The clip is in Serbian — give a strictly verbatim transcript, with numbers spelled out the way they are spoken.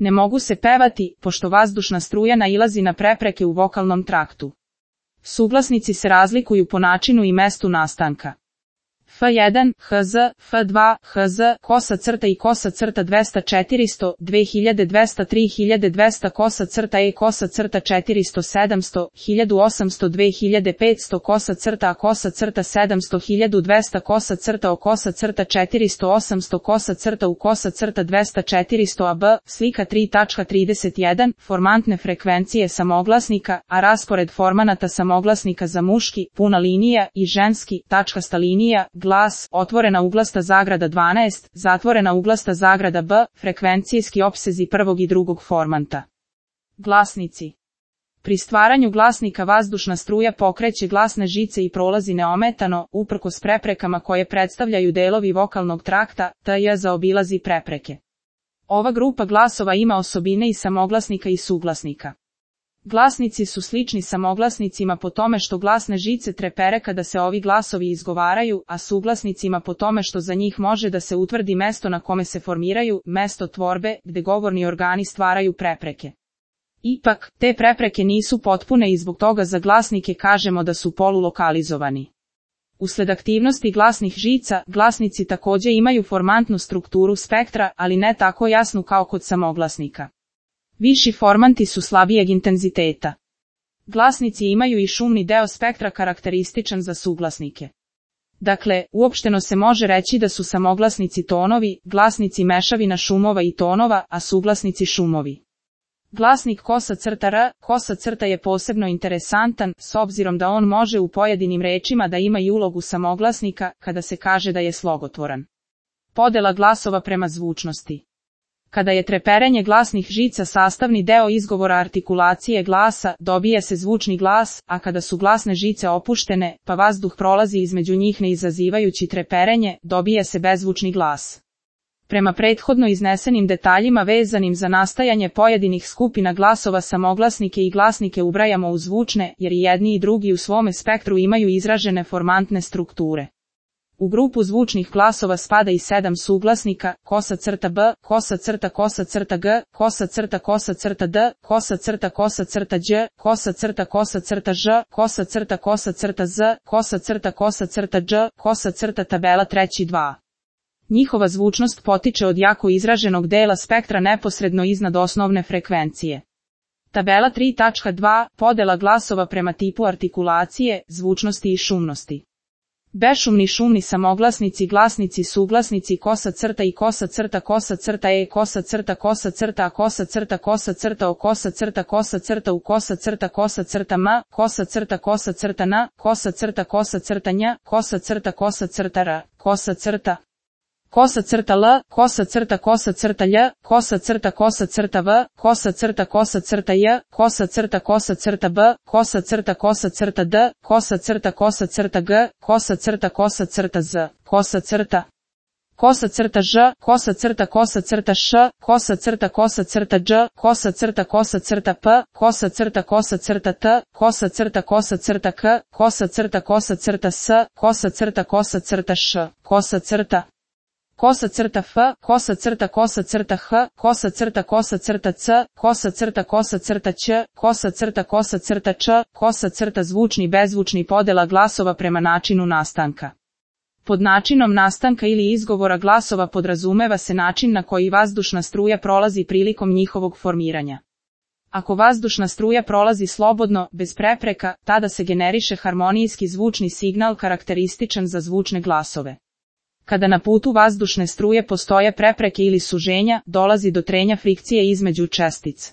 Ne mogu se pevati, pošto vazdušna struja nailazi na prepreke u vokalnom traktu. Suglasnici se razlikuju po načinu i mestu nastanka. F jedan, H Z, F dva, H Z, kosa crta i kosa crta dvesta četiristo, dve hiljade dvesta tri hiljade dvesta kosa crta E kosa crta četiristo sedamsto, hiljadu osamsto dve hiljade petsto kosa crta A kosa crta sedamsto hiljadu dvesta kosa crta O kosa crta četiristo osamsto kosa crta U kosa crta dvesta četiristo A B, slika tri tačka trideset jedan, formantne frekvencije samoglasnika, a raspored formanata samoglasnika za muški, puna linija, i ženski, tačkasta linija, glas, otvorena uglasta zagrada dvanaest, zatvorena uglasta zagrada B, frekvencijski opsezi prvog i drugog formanta. Glasnici. Pri stvaranju glasnika vazdušna struja pokreće glasne žice i prolazi neometano, uprkos preprekama koje predstavljaju delovi vokalnog trakta, T J zaobilazi prepreke. Ova grupa glasova ima osobine i samoglasnika i suglasnika. Glasnici su slični samoglasnicima po tome što glasne žice trepere kada se ovi glasovi izgovaraju, a suglasnicima po tome što za njih može da se utvrdi mesto na kome se formiraju, mesto tvorbe, gde govorni organi stvaraju prepreke. Ipak, te prepreke nisu potpune i zbog toga za glasnike kažemo da su polulokalizovani. Usled aktivnosti glasnih žica, glasnici takođe imaju formantnu strukturu spektra, ali ne tako jasnu kao kod samoglasnika. Viši formanti su slabijeg intenziteta. Glasnici imaju i šumni deo spektra karakterističan za suglasnike. Dakle, uopšteno se može reći da su samoglasnici tonovi, glasnici mešavina šumova i tonova, a suglasnici šumovi. Glasnik kosa crta R, kosa crta je posebno interesantan, s obzirom da on može u pojedinim rečima da ima i ulogu samoglasnika, kada se kaže da je slogotvoran. Podela glasova prema zvučnosti. Kada je treperenje glasnih žica sastavni deo izgovora artikulacije glasa, dobije se zvučni glas, a kada su glasne žice opuštene, pa vazduh prolazi između njih ne izazivajući treperenje, dobije se bezzvučni glas. Prema prethodno iznesenim detaljima vezanim za nastajanje pojedinih skupina glasova samoglasnike i glasnike ubrajamo u zvučne, jer i jedni i drugi u svome spektru imaju izražene formantne strukture. U grupu zvučnih glasova spada i sedam suglasnika, kosa crta B, kosa crta kosa crta G, kosa crta kosa crta D, kosa crta kosa crta Đ, kosa crta kosa crta Ž, kosa crta kosa crta Z, kosa crta kosa crta Đ, kosa crta tabela treći dva. Njihova zvučnost potiče od jako izraženog dela spektra neposredno iznad osnovne frekvencije. Tabela tri tačka dva, podela glasova prema tipu artikulacije, zvučnosti i šumnosti. Bešumni šumni samoglasnici, glasnici, suglasnici, kosa crta i kosa crta, kosa crta E, kosa crta, kosa crta A, kosa crta, kosa crta O, kosa crta, kosa crta U, kosa crta, kosa crta M, kosa crta, kosa crta N, kosa crta, kosa crta Nj, kosa crta, kosa crta R, kosa crta, kosa crta L, kosa crta, kosa crta Lj, kosa crta, kosa crta V, kosa crta, kosa crta J, kosa crta, kosa crta B, kosa crta, kosa crta D, kosa crta, kosa crta G, kosa crta, kosa crta Z, kosa crta, kosa crta Ž, kosa crta, kosa crta Š, kosa crta, kosa crta Đ, kosa crta, kosa crta P, kosa crta, kosa crta T, kosa crta, kosa crta K, kosa crta, kosa crta S, kosa crta, kosa crta Š, kosa crta, kosa crta F, kosa crta, kosa crta H, kosa crta, kosa crta C, kosa crta, kosa crta Ć, kosa crta, kosa crta Č, kosa crta zvučni bezzvučni podela glasova prema načinu nastanka. Pod načinom nastanka ili izgovora glasova podrazumeva se način na koji vazdušna struja prolazi prilikom njihovog formiranja. Ako vazdušna struja prolazi slobodno, bez prepreka, tada se generiše harmonijski zvučni signal karakterističan za zvučne glasove. Kada na putu vazdušne struje postoje prepreke ili suženja, dolazi do trenja frikcije između čestica.